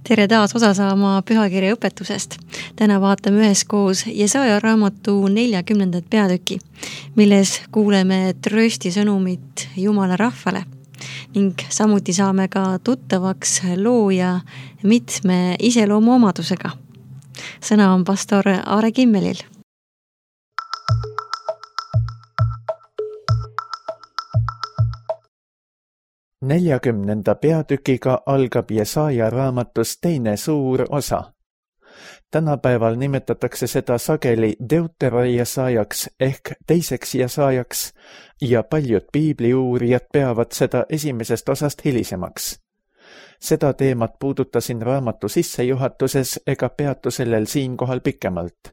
Tere taas osa saama pühakirja õpetusest. Täna vaatame üheskoos Jesaja raamatu 40. peatüki, milles kuuleme tröösti sõnumit Jumala rahvale ning samuti saame ka tuttavaks looja mitme iseloomuomadusega. Sõna on pastor Aare Kimmelil. Neljakümnenda peatükiga algab Jesaja raamatus teine suur osa. Tänapäeval nimetatakse seda sageli Deuterojesajaks ehk teiseks Jesajaks ja paljud piibliuurijad peavad seda esimesest osast hilisemaks. Seda teemat puudutasin raamatu sissejuhatuses ega peatu sellel siinkohal pikemalt.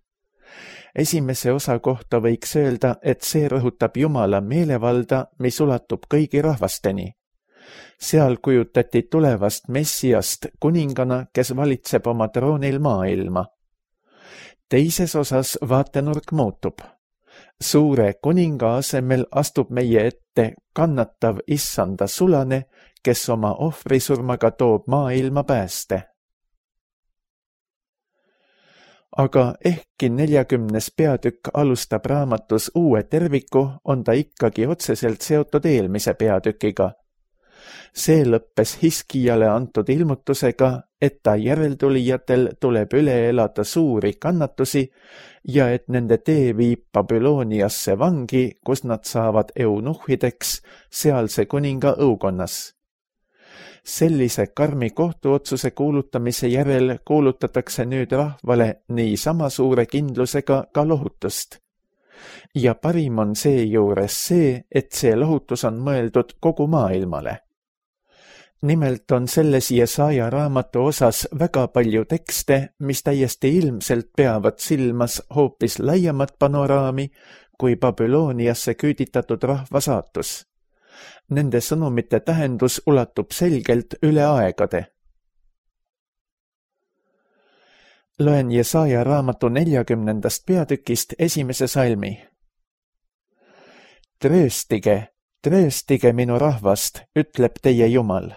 Esimese osa kohta võiks öelda, et see rõhutab Jumala meelevalda, mis ulatub kõigi rahvasteni. Seal kujutati tulevast Messiast kuningana, kes valitseb oma troonil maailma. Teises osas vaatenurk muutub. Suure kuninga asemel astub meie ette kannatav issanda sulane, kes oma ohvrisurmaga toob maailma pääste. Aga ehkki 40. peatükk alustab raamatus uue terviku, on ta ikkagi otseselt seotud eelmise peatükiga. See lõppes Hiskijale antud ilmutusega, et ta järeltulijatel tuleb üle elada suuri kannatusi ja et nende tee viib Babyloniasse vangi, kus nad saavad eunuhhideks sealse kuninga õukonnas. Sellise karmi kohtuotsuse kuulutamise järel kuulutatakse nüüd rahvale nii sama suure kindlusega ka lohutust. Ja parim on seejuures see, et see lohutus on mõeldud kogu maailmale. Nimelt on selles Jesaja raamatu osas väga palju tekste, mis täiesti ilmselt peavad silmas hoopis laiemat panoraami kui Babyloniasse küüditatud rahva saatus. Nende sõnumite tähendus ulatub selgelt üle aegade. Loen Jesaja raamatu 40. peatükist esimese salmi. Trööstige, trööstige minu rahvast, ütleb teie Jumal.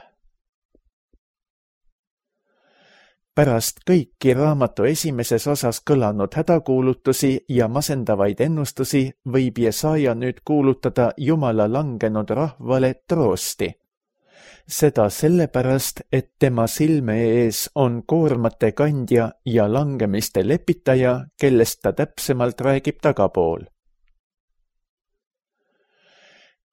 Pärast kõiki raamatu esimeses osas kõlanud hädakuulutusi ja masendavaid ennustusi võib Jesaja nüüd kuulutada Jumala langenud rahvale troosti. Seda sellepärast, et tema silme ees on koormate kandja ja langemiste lepitaja, kellest ta täpsemalt räägib tagapool.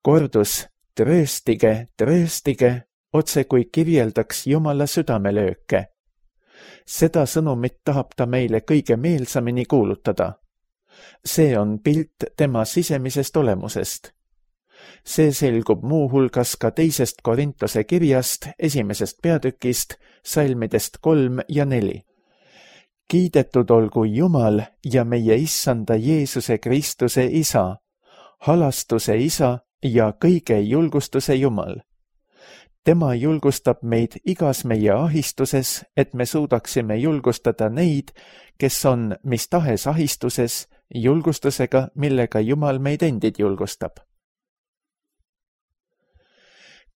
Kordus trööstige, trööstige, otse kui kirjeldaks Jumala südamelööke. Seda sõnumit tahab ta meile kõige meelsamini kuulutada. See on pilt tema sisemisest olemusest. See selgub muuhulgas ka teisest Korintuse kirjast, esimesest peatükist, salmidest 3 ja 4. Kiidetud olgu Jumal ja meie issanda Jeesuse Kristuse Isa, halastuse Isa ja kõige julgustuse Jumal. Tema julgustab meid igas meie ahistuses, et me suudaksime julgustada neid, kes on mis tahes ahistuses, julgustusega, millega Jumal meid endid julgustab.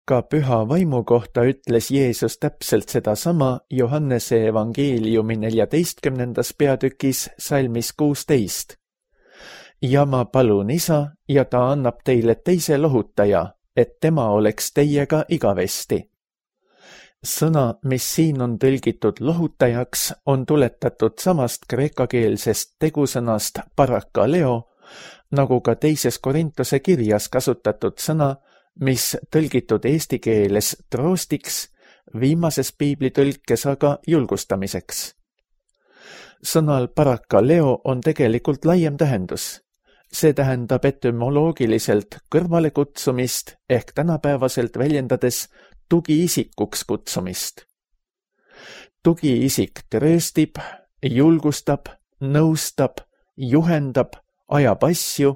Ka püha vaimu kohta ütles Jeesus täpselt sedasama Johannese evangeeliumi 14. peatükis salmis 16. Ja ma palun Isa ja ta annab teile teise lohutaja, et tema oleks teiega igavesti. Sõna, mis siin on tõlgitud lohutajaks, on tuletatud samast kreekakeelsest tegusõnast parakaleo, nagu ka teises Korintuse kirjas kasutatud sõna, mis tõlgitud eesti keeles troostiks, viimases piiblitõlkes aga julgustamiseks. Sõnal parakaleo on tegelikult laiem tähendus. See tähendab etümoloogiliselt kõrvale kutsumist ehk tänapäevaselt väljendades tugiisikuks kutsumist. Tugiisik trööstib, julgustab, nõustab, juhendab, ajab asju,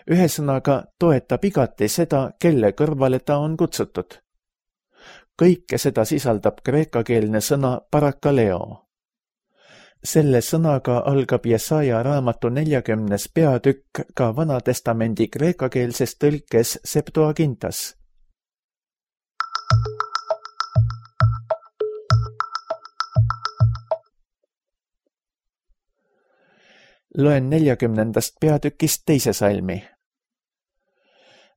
ühesõnaga toetab igati seda, kelle kõrvale ta on kutsutud. Kõike seda sisaldab kreekakeelne sõna parakaleo. Selle sõnaga algab Jesaja raamatu 40. peatükk ka Vanatestamendi kreekakeelses tõlkes Septuagintas. Loen 40. peatükist 2. salmi.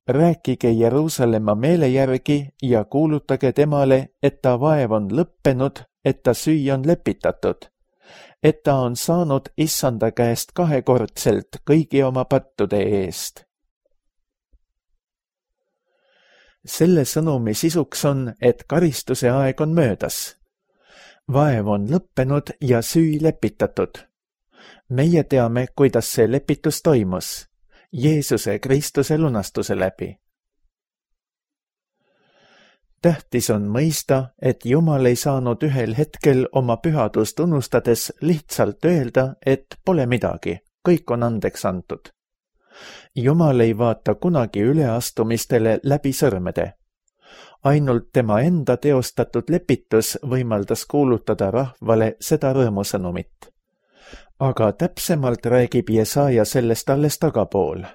Rääkige Jeruusalemma meele järgi ja kuulutage temale, et ta vaev on lõppenud, et ta süü on lepitatud, et ta on saanud Issanda käest 2-kordselt kõigi oma pattude eest. Selle sõnumi sisuks on, et karistuse aeg on möödas. Vaev on lõppenud ja süü lepitatud. Meie teame, kuidas see lepitus toimus. Jeesuse Kristuse lunastuse läbi. Tähtis on mõista, et Jumal ei saanud ühel hetkel oma pühadust unustades lihtsalt öelda, et pole midagi, kõik on andeks antud. Jumal ei vaata kunagi üleastumistele läbi sõrmede. Ainult tema enda teostatud lepitus võimaldas kuulutada rahvale seda rõõmusõnumit. Aga täpsemalt räägib Jesaja sellest alles tagapool.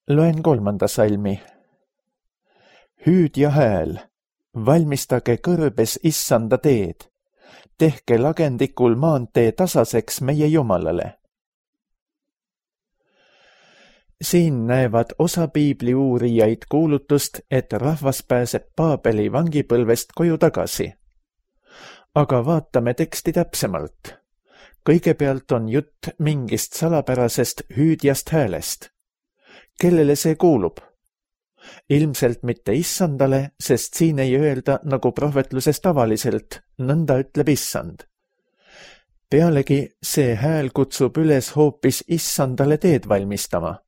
Loen 3. salmi. Hüüd ja hääl, valmistage kõrbes Issanda teed, tehke lagendikul maantee tasaseks meie Jumalale. Siin näevad osa piibli uurijaid kuulutust, et rahvas pääseb Paabeli vangipõlvest koju tagasi. Aga vaatame teksti täpsemalt. Kõigepealt on jutt mingist salapärasest hüüdjast häälest. Kellele see kuulub? Ilmselt mitte Issandale, sest siin ei öelda nagu prohvetluses tavaliselt, nõnda ütleb Issand. Pealegi see hääl kutsub üles hoopis Issandale teed valmistama.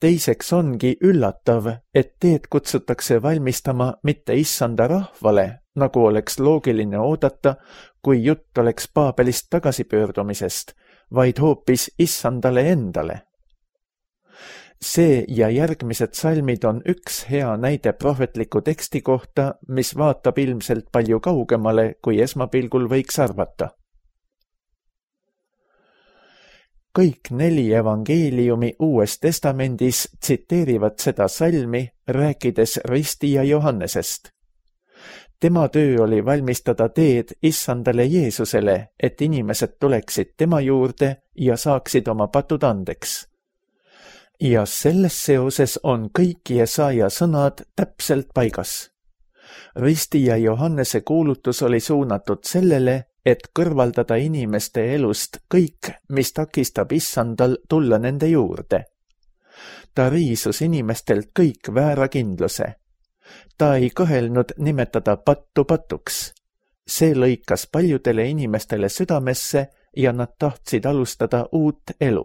Teiseks ongi üllatav, et teed kutsutakse valmistama mitte Issanda rahvale, nagu oleks loogiline oodata, kui jutt oleks Paabelist tagasipöördumisest, vaid hoopis Issandale endale. See ja järgmised salmid on üks hea näide prohvetliku teksti kohta, mis vaatab ilmselt palju kaugemale, kui esmapilgul võiks arvata. Kõik 4 evangeeliumi Uues Testamendis tsiteerivad seda salmi, rääkides ristija Johannesest. Tema töö oli valmistada teed Issandale Jeesusele, et inimesed tuleksid tema juurde ja saaksid oma patud andeks. Ja selles seoses on kõik Jesaja sõnad täpselt paigas. Ristija Johannese kuulutus oli suunatud sellele, et kõrvaldada inimeste elust kõik, mis takistab Issandal tulla nende juurde. Ta riisus inimestelt kõik väärakindluse. Ta ei kõhelnud nimetada pattu patuks. See lõikas paljudele inimestele südamesse ja nad tahtsid alustada uut elu.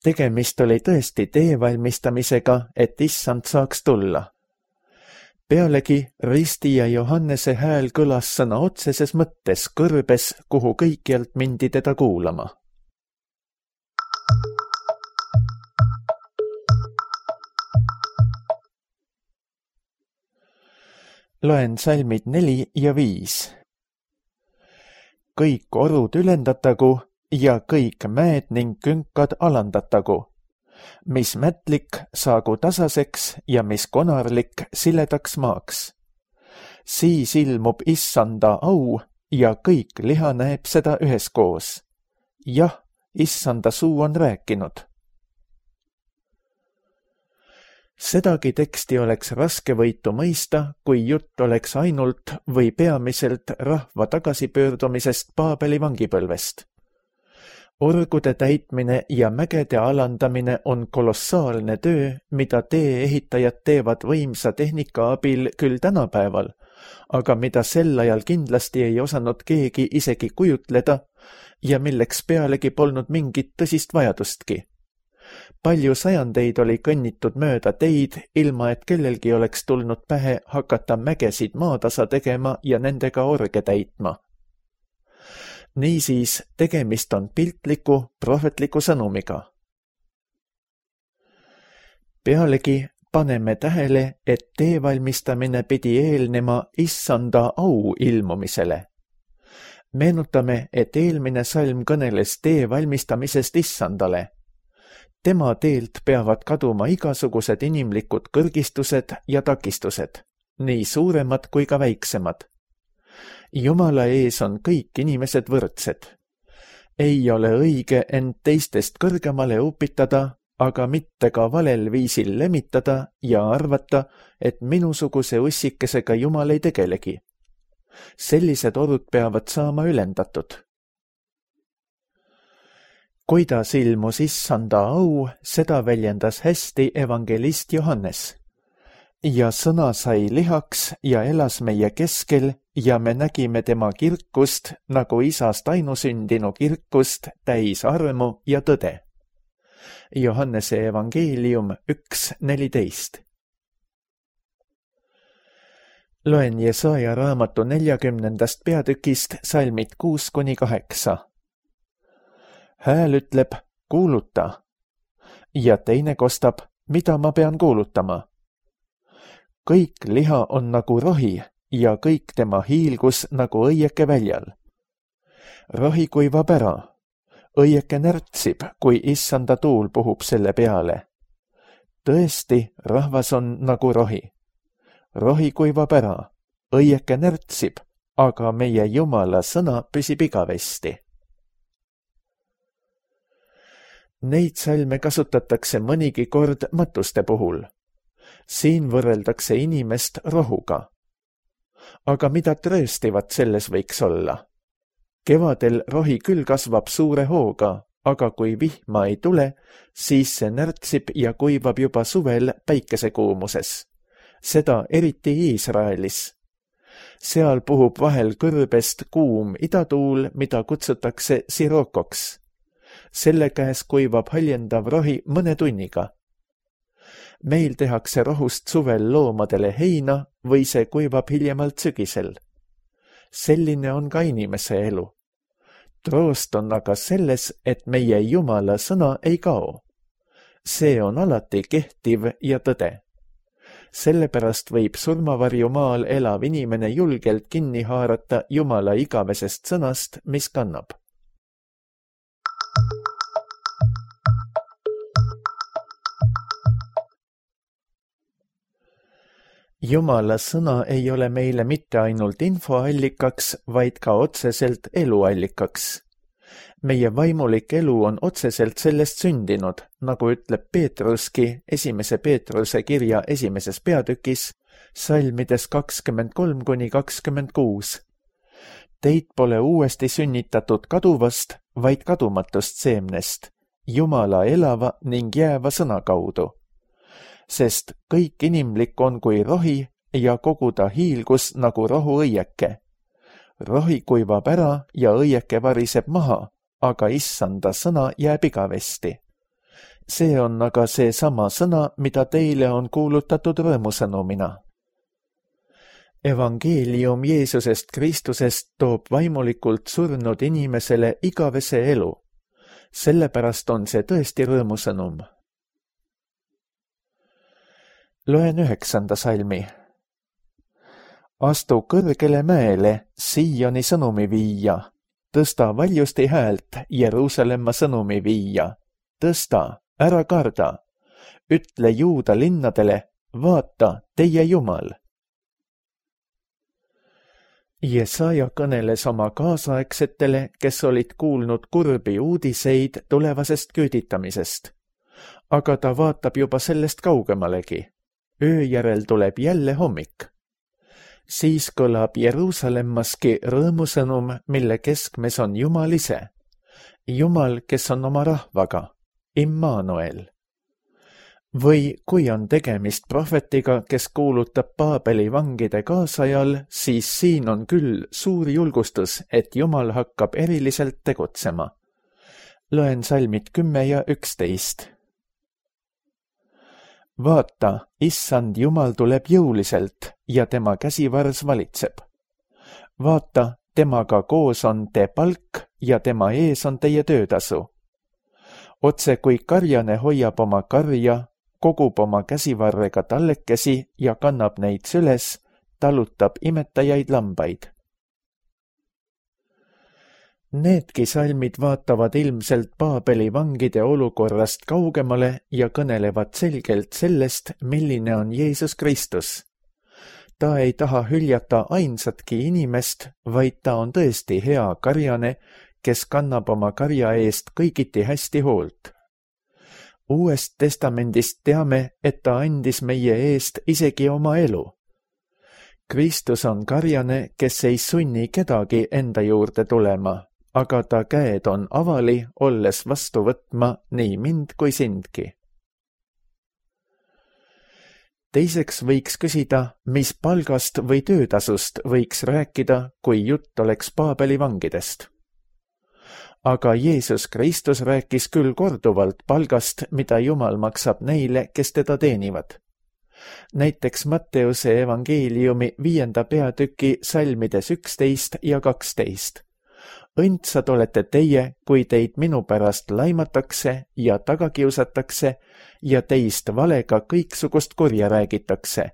Tegemist oli tõesti tee valmistamisega, et Issand saaks tulla. Pealegi ristija Johannese hääl kõlas sõna otseses mõttes kõrbes, kuhu kõikjalt mindi teda kuulama. Loen salmid 4 ja 5. Kõik orud ülendatagu ja kõik mäed ning künkad alandatagu. Mis mätlik saagu tasaseks ja mis konarlik siledaks maaks. Siis ilmub Issanda au ja kõik liha näeb seda üheskoos. Jah, Issanda suu on rääkinud. Sedagi teksti oleks raskevõitu mõista, kui jutt oleks ainult või peamiselt rahva tagasipöördumisest Paabeli vangipõlvest. Orgude täitmine ja mägede alandamine on kolossaalne töö, mida tee-ehitajad teevad võimsa tehnika abil küll tänapäeval, aga mida sel ajal kindlasti ei osanud keegi isegi kujutleda ja milleks pealegi polnud mingit tõsist vajadustki. Palju sajandeid oli kõnnitud mööda teid, ilma et kellelgi oleks tulnud pähe hakata mägesid maatasa tegema ja nendega orge täitma. Niisiis, tegemist on piltliku, prohvetliku sõnumiga. Pealegi paneme tähele, et tee valmistamine pidi eelnema Issanda au ilmumisele. Meenutame, et eelmine salm kõneles tee valmistamisest Issandale. Tema teelt peavad kaduma igasugused inimlikud kõrgistused ja takistused, nii suuremad kui ka väiksemad. Jumala ees on kõik inimesed võrdsed. Ei ole õige end teistest kõrgemale upitada, aga mitte ka valel viisil lemitada ja arvata, et minusuguse ussikesega Jumal ei tegelegi. Sellised orud peavad saama ülendatud. Kuidas ilmus issanda au, seda väljendas hästi evangelist Johannes. Ja sõna sai lihaks ja elas meie keskel ja me nägime tema kirkust nagu isast ainusündinu kirkust täis armu ja tõde. Johannese evangeelium 1:14. Loen Jesaja raamatu 40. peatükist salmid 6-8. Hääl ütleb, kuuluta. Ja teine kostab, mida ma pean kuulutama. Kõik liha on nagu rohi ja kõik tema hiilgus nagu õieke väljal. Rohi kuivab ära. Õieke närtsib, kui issanda tuul puhub selle peale. Tõesti, rahvas on nagu rohi. Rohi kuivab ära, õieke närtsib, aga meie Jumala sõna püsib igavesti. Neid salme kasutatakse mõnigi kord matuste puhul. Siin võrreldakse inimest rohuga. Aga mida trööstivat selles võiks olla? Kevadel rohi küll kasvab suure hooga, aga kui vihma ei tule, siis see närtsib ja kuivab juba suvel päikesekuumuses. Seda eriti Iisraelis. Seal puhub vahel kõrbest kuum idatuul, mida kutsutakse sirokoks. Selle käes kuivab haljendav rohi mõne tunniga. Meil tehakse rohust suvel loomadele heina või see kuivab hiljemalt sügisel. Selline on ka inimese elu. Troost on aga selles, et meie Jumala sõna ei kao. See on alati kehtiv ja tõde. Sellepärast võib surmavarju maal elav inimene julgelt kinni haarata Jumala igavesest sõnast, mis kannab. Jumala sõna ei ole meile mitte ainult infoallikaks, vaid ka otseselt eluallikaks. Meie vaimulik elu on otseselt sellest sündinud, nagu ütleb Peetruski 1. Peetruse kirja 1. peatükis, salmides 23-26. Teid pole uuesti sünnitatud kaduvast, vaid kadumatust seemnest, Jumala elava ning jääva sõna kaudu. Sest kõik inimlik on kui rohi ja kogu ta hiilgus nagu rohuõieke. Rohi kuivab ära ja õieke variseb maha, aga issanda sõna jääb igavesti. See on aga see sama sõna, mida teile on kuulutatud rõõmusõnumina. Evangeelium Jeesusest Kristusest toob vaimulikult surnud inimesele igavese elu. Sellepärast on see tõesti rõõmusõnum. Loen 9. salmi. Astu kõrgele mäele, Sioni sõnumi viia. Tõsta valjusti häält, Jeruusalemma sõnumi viia. Tõsta, ära karda. Ütle Juuda linnadele, vaata, teie Jumal. Jesaja kõneles oma kaasaegsetele, kes olid kuulnud kurbi uudiseid tulevasest küüditamisest. Aga ta vaatab juba sellest kaugemalegi. Öö järel tuleb jälle hommik. Siis kõlab Jeruusalemmaski rõõmusõnum, mille keskmes on Jumal ise. Jumal, kes on oma rahvaga, Immanuel. Või kui on tegemist prohvetiga, kes kuulutab Paabeli vangide kaasajal, siis siin on küll suur julgustus, et Jumal hakkab eriliselt tegutsema. Loen salmid 10 ja 11. Vaata, issand Jumal tuleb jõuliselt ja tema käsivars valitseb. Vaata, temaga koos on te palk ja tema ees on teie töötasu. Otse kui karjane hoiab oma karja, kogub oma käsivarrega tallekesi ja kannab neid süles, talutab imetajaid lambaid. Needki salmid vaatavad ilmselt Paabeli vangide olukorrast kaugemale ja kõnelevad selgelt sellest, milline on Jeesus Kristus. ta ei taha hüljata ainsatki inimest, vaid ta on tõesti hea karjane, kes kannab oma karja eest kõigiti hästi hoolt. Uuest testamendist teame, et ta andis meie eest isegi oma elu. Kristus on karjane, kes ei sunni kedagi enda juurde tulema, aga ta käed on avali, olles vastu võtma nii mind kui sindki. Teiseks võiks küsida, mis palgast või töötasust võiks rääkida, kui jutt oleks Paabeli vangidest. Aga Jeesus Kristus rääkis küll korduvalt palgast, mida Jumal maksab neile, kes teda teenivad. Näiteks Matteuse evangeeliumi 5. peatüki salmides 11 ja 12. Õndsad olete teie, kui teid minu pärast laimatakse ja taga kiusatakse ja teist valega kõiksugust kurja räägitakse.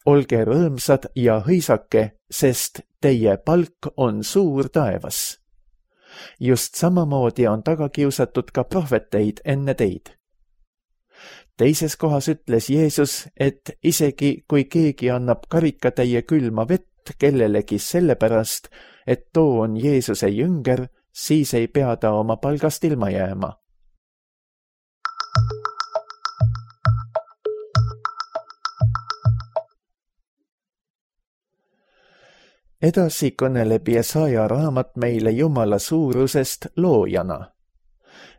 Olge rõõmsad ja hõisake, sest teie palk on suur taevas. Just samamoodi on taga kiusatud ka prohveteid enne teid. Teises kohas ütles Jeesus, et isegi kui keegi annab karikatäie külma vett kellelegi sellepärast, et too on Jeesuse jünger, siis ei pea ta oma palgast ilma jääma. Edasi kõneleb Jesaja raamat meile Jumala suurusest loojana.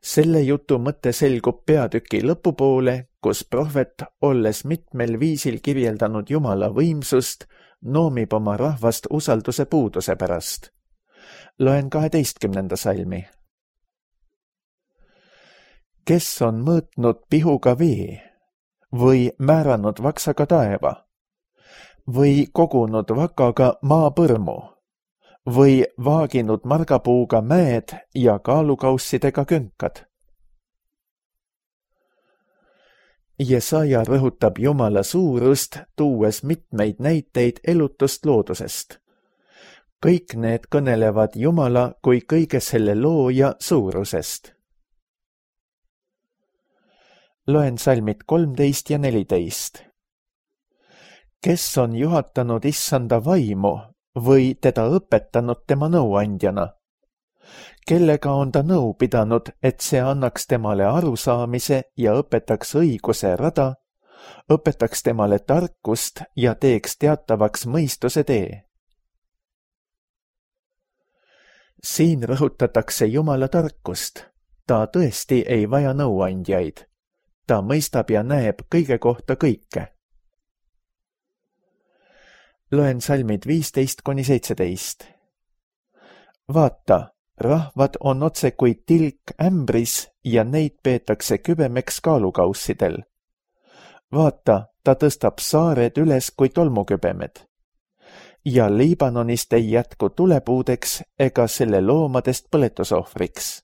Selle jutu mõte selgub peatüki lõpupoole, kus prohvet, olles mitmel viisil kirjeldanud Jumala võimsust, noomib oma rahvast usalduse puuduse pärast. Loen 12. salmi. Kes on mõõtnud pihuga vee või määranud vaksaga taeva või kogunud vakaga maapõrmu või vaaginud margapuuga mäed ja kaalukaussidega künkad. Jesaja rõhutab Jumala suurust, tuues mitmeid näiteid elutust loodusest. Kõik need kõnelevad Jumala kui kõige selle looja suurusest. Loen salmid 13 ja 14. Kes on juhatanud issanda vaimu või teda õpetanud tema nõuandjana? Kellega on ta nõu pidanud, et see annaks temale arusaamise ja õpetaks õiguse rada, õpetaks temale tarkust ja teeks teatavaks mõistuse tee? Siin rõhutatakse Jumala tarkust. Ta tõesti ei vaja nõuandjaid. Ta mõistab ja näeb kõige kohta kõike. Loen salmid 15-17. Vaata, rahvad on otse kui tilk ämbris ja neid peetakse kübemeks kaalukaussidel. Vaata, ta tõstab saared üles kui tolmukübemed. Ja Liibanonist ei jätku tulepuudeks ega selle loomadest põletusohvriks.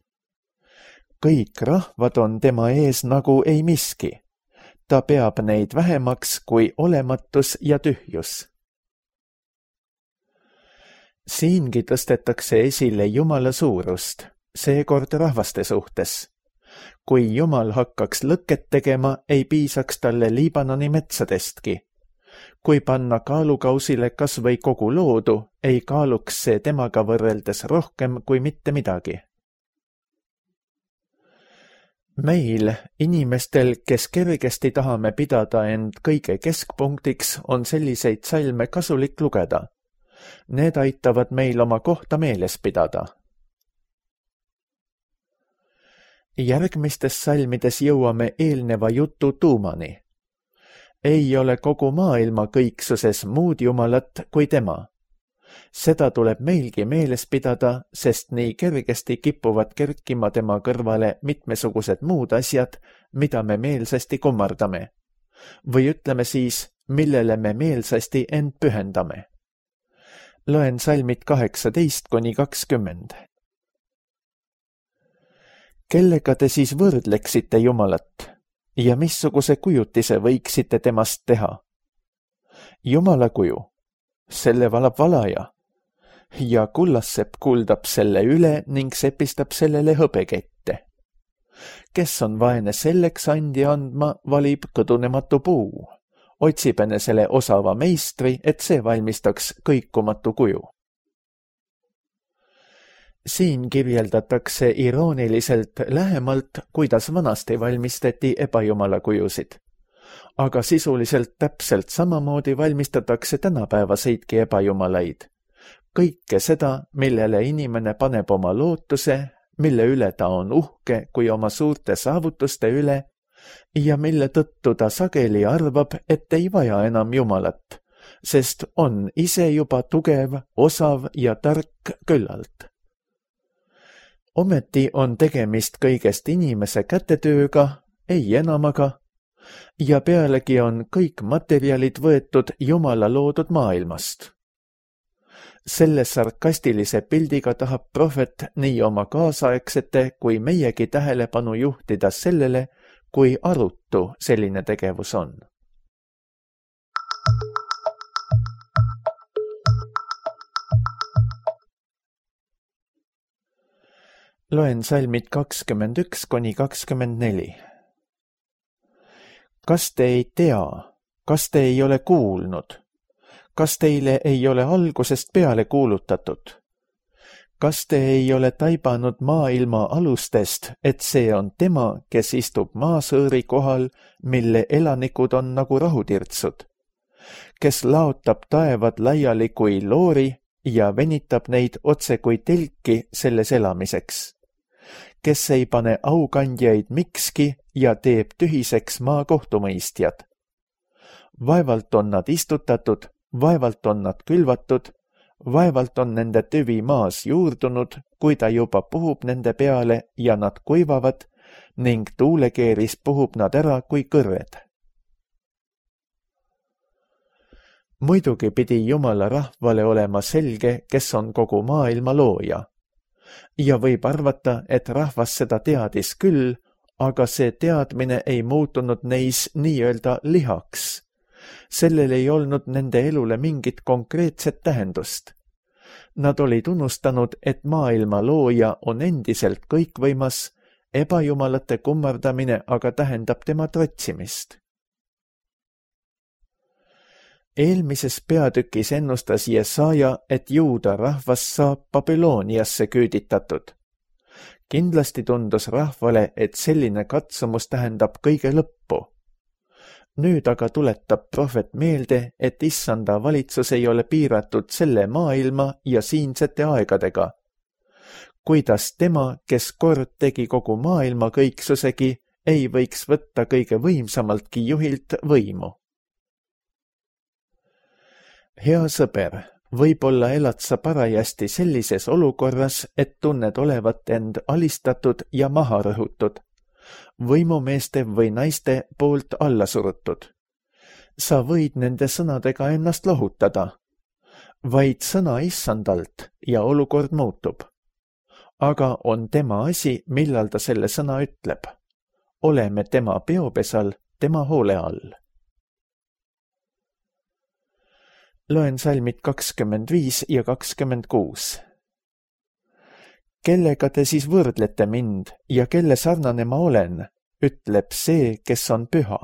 Kõik rahvad on tema ees nagu ei miski. Ta peab neid vähemaks kui olematus ja tühjus. Siingi tõstetakse esile Jumala suurust, seekord rahvaste suhtes. Kui Jumal hakkaks lõket tegema, ei piisaks talle Liibanoni metsadestki. Kui panna kaalukausile kas või kogu loodu, ei kaaluks see temaga võrreldes rohkem kui mitte midagi. Meil, inimestel, kes kergesti tahame pidada end kõige keskpunktiks, on selliseid salme kasulik lugeda. Need aitavad meil oma kohta meeles pidada. Järgmistes salmides jõuame eelneva jutu tuumani. Ei ole kogu maailma kõiksuses muud jumalat kui tema. Seda tuleb meilgi meeles pidada, sest nii kergesti kipuvad kerkima tema kõrvale mitmesugused muud asjad, mida me meelsasti kummardame. Või ütleme siis, millele me meelsasti end pühendame. Loen salmid 18-20. Kellega te siis võrdleksite Jumalat ja missuguse kujutise võiksite temast teha? Jumala kuju, selle valab valaja ja kullassepp kuldab selle üle ning sepistab sellele hõbekette. Kes on vaene selleks andi andma, valib kõdunematu puu. otsib enesele osava meistri, et see valmistaks kõikumatu kuju. Siin kirjeldatakse irooniliselt lähemalt, kuidas vanasti valmistati ebajumala kujusid. Aga sisuliselt täpselt samamoodi valmistatakse tänapäevaseidki ebajumalaid. Kõike seda, millele inimene paneb oma lootuse, mille üle ta on uhke kui oma suurte saavutuste üle ja mille tõttu ta sageli arvab, et ei vaja enam Jumalat, sest on ise juba tugev, osav ja tark küllalt. Ometi on tegemist kõigest inimese kätetööga, ei enamaga, ja pealegi on kõik materjalid võetud Jumala loodud maailmast. Selle sarkastilise pildiga tahab prohvet nii oma kaasaegsete kui meiegi tähelepanu juhtida sellele, kui arutu selline tegevus on. Loen salmid 21–24. Kas te ei tea, kas te ei ole kuulnud? Kas teile ei ole algusest peale kuulutatud? Kas te ei ole taibanud maailma alustest, et see on tema, kes istub maasõõri kohal, mille elanikud on nagu rahutirtsud, kes laotab taevad laiali kui loori ja venitab neid otse kui telki selles elamiseks, kes ei pane aukandjaid mikski ja teeb tühiseks maa kohtumõistjad. Vaevalt on nad istutatud, vaevalt on nad külvatud, vaevalt on nende tüvi maas juurdunud, kui ta juba puhub nende peale ja nad kuivavad ning tuulekeeris puhub nad ära kui kõrred. Muidugi pidi Jumala rahvale olema selge, kes on kogu maailma looja. Ja võib arvata, et rahvas seda teadis küll, aga see teadmine ei muutunud neis nii-öelda lihaks. Sellel ei olnud nende elule mingit konkreetset tähendust. Nad olid unustanud, et maailma looja on endiselt kõikvõimas, ebajumalate kummardamine aga tähendab tema trotsimist. Eelmises peatükis ennustas Jesaja, et juuda rahvas saab Babyloniasse küüditatud. Kindlasti tundus rahvale, et selline katsumus tähendab kõige lõppu. Nüüd aga tuletab prohvet meelde, et issanda valitsus ei ole piiratud selle maailma ja siinsete aegadega. Kuidas tema, kes kord tegi kogu maailma kõiksusegi, ei võiks võtta kõige võimsamaltki juhilt võimu. Hea sõber, võib-olla elad sa parajasti sellises olukorras, et tunned olevat end alistatud ja maha rõhutud, võimumeeste või naiste poolt alla surutud. Sa võid nende sõnadega ennast lohutada. Vaid sõna issandalt ja olukord muutub. Aga on tema asi, millal ta selle sõna ütleb. Oleme tema peopesal, tema hoole all. Loen salmid 25 ja 26. Kellega te siis võrdlete mind ja kelle sarnane ma olen, ütleb see, kes on püha.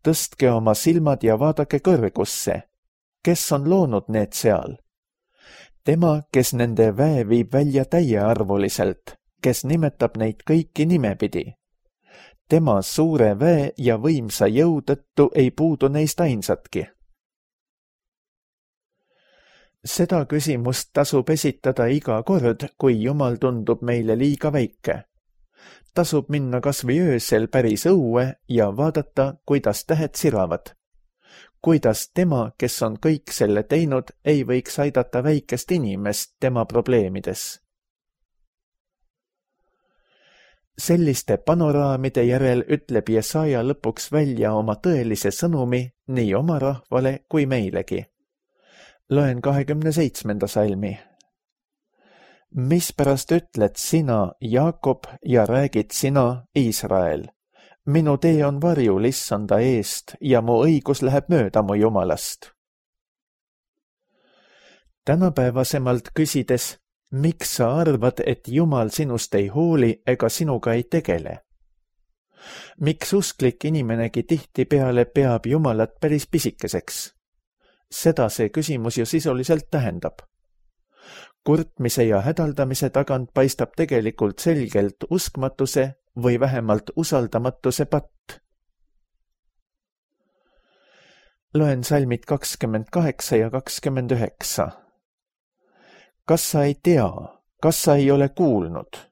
Tõstke oma silmad ja vaadake kõrgusse. Kes on loonud need seal? Tema, kes nende väe viib välja täiearvuliselt, kes nimetab neid kõiki nimepidi. Tema suure väe ja võimsa jõu tõttu ei puudu neist ainsatki. Seda küsimust tasub esitada iga kord, kui Jumal tundub meile liiga väike. Tasub minna kas või öösel päris õue ja vaadata, kuidas tähed siravad. Kuidas tema, kes on kõik selle teinud, ei võiks aidata väikest inimest tema probleemides. Selliste panoraamide järel ütleb Jesaja lõpuks välja oma tõelise sõnumi nii oma rahvale kui meilegi. Loen 27. salmi. Mispärast ütled sina, Jaakob, ja räägid sina, Iisrael? Minu tee on varjul issanda eest ja mu õigus läheb mööda mu Jumalast. Tänapäevasemalt küsides, miks sa arvad, et Jumal sinust ei hooli ega sinuga ei tegele? Miks usklik inimenegi tihtipeale peab Jumalat päris pisikeseks? Seda see küsimus ju sisuliselt tähendab. Kurtmise ja hädaldamise tagant paistab tegelikult selgelt uskmatuse või vähemalt usaldamatuse patt. Loen salmid 28 ja 29. Kas sa ei tea, kas sa ei ole kuulnud?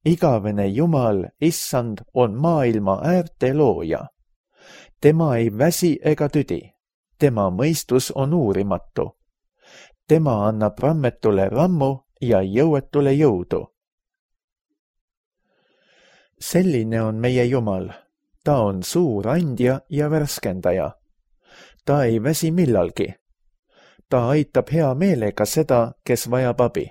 Igavene Jumal, Issand, on maailma äärte looja. Tema ei väsi ega tüdi. Tema mõistus on uurimatu. Tema annab rammetule rammu ja jõuetule jõudu. Selline on meie Jumal. Ta on suur andja ja värskendaja. Ta ei väsi millalgi. Ta aitab hea meelega seda, kes vajab abi.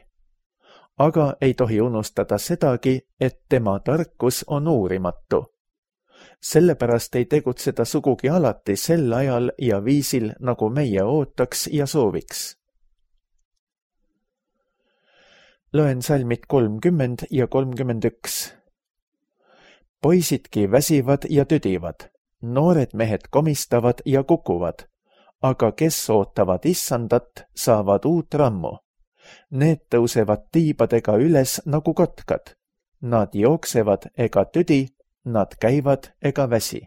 Aga ei tohi unustada sedagi, et tema tarkus on uurimatu. Sellepärast ei tegutseda sugugi alati sel ajal ja viisil, nagu meie ootaks ja sooviks. Loen salmid 30 ja 31. Poisidki väsivad ja tüdivad, noored mehed komistavad ja kukuvad, aga kes ootavad Issandat, saavad uut rammu. Need tõusevad tiibadega üles nagu kotkad. Nad jooksevad ega tüdi, nad käivad ega väsi.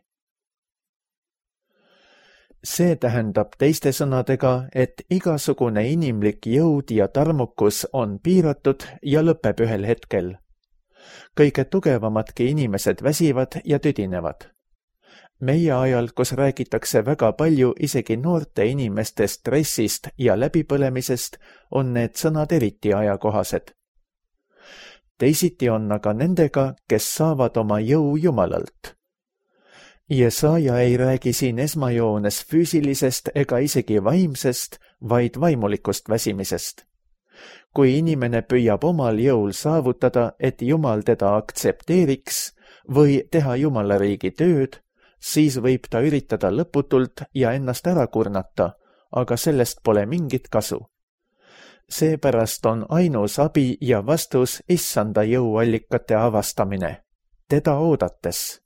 See tähendab teiste sõnadega, et igasugune inimlik jõud ja tarmukus on piiratud ja lõpeb ühel hetkel. Kõige tugevamadki inimesed väsivad ja tüdinevad. Meie ajal, kus räägitakse väga palju isegi noorte inimeste stressist ja läbipõlemisest, on need sõnad eriti ajakohased. Teisiti on aga nendega, kes saavad oma jõu Jumalalt. Jesaja ei räägi siin esmajoones füüsilisest ega isegi vaimsest, vaid vaimulikust väsimisest. Kui inimene püüab omal jõul saavutada, et Jumal teda aktsepteeriks või teha Jumala riigi tööd, siis võib ta üritada lõputult ja ennast ära kurnata, aga sellest pole mingit kasu. Seepärast on ainus abi ja vastus Issanda jõuallikate avastamine, teda oodates.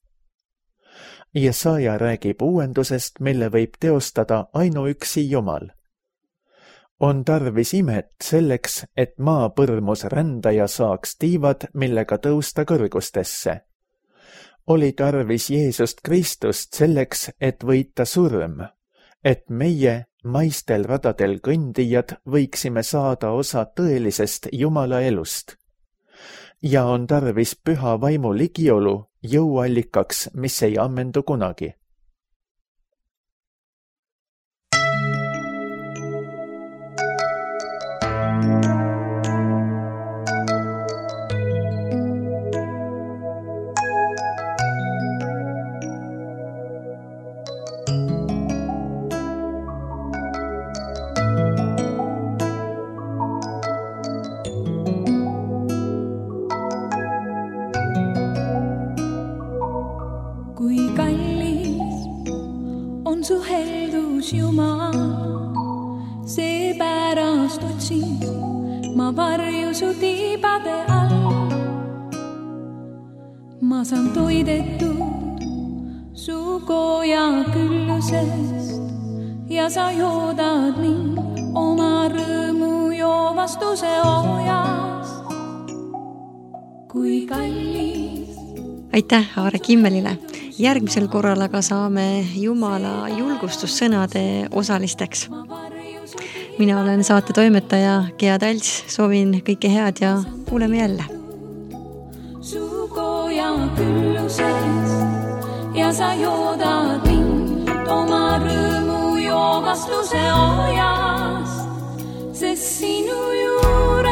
Jesaja räägib uuendusest, mille võib teostada ainuüksi Jumal. On tarvis imet selleks, et maapõrmus rändaja saaks tiivad, millega tõusta kõrgustesse. Oli tarvis Jeesust Kristust selleks, et võita surm, et meie, maistel radadel kõndijad, võiksime saada osa tõelisest Jumala elust. Ja on tarvis püha vaimu ligiolu jõuallikaks, mis ei ammendu kunagi. Su heldus Jumal, seepärast otsin ma varju su tiibade all. Ma saan toidetud su koja küllusest ja sa joodad mind oma rõõmu joovastuse oojast. Kui kallis. Aitäh Aare Kimmelile! Järgmisel korral aga saame Jumala julgustussõnade osalisteks. Mina olen saate toimetaja Gea Talts, soovin kõike head ja kuuleme jälle. Su koja küllusest ja sa joodad mind oma rõõmu joovastuse oojast, sest sinu juurde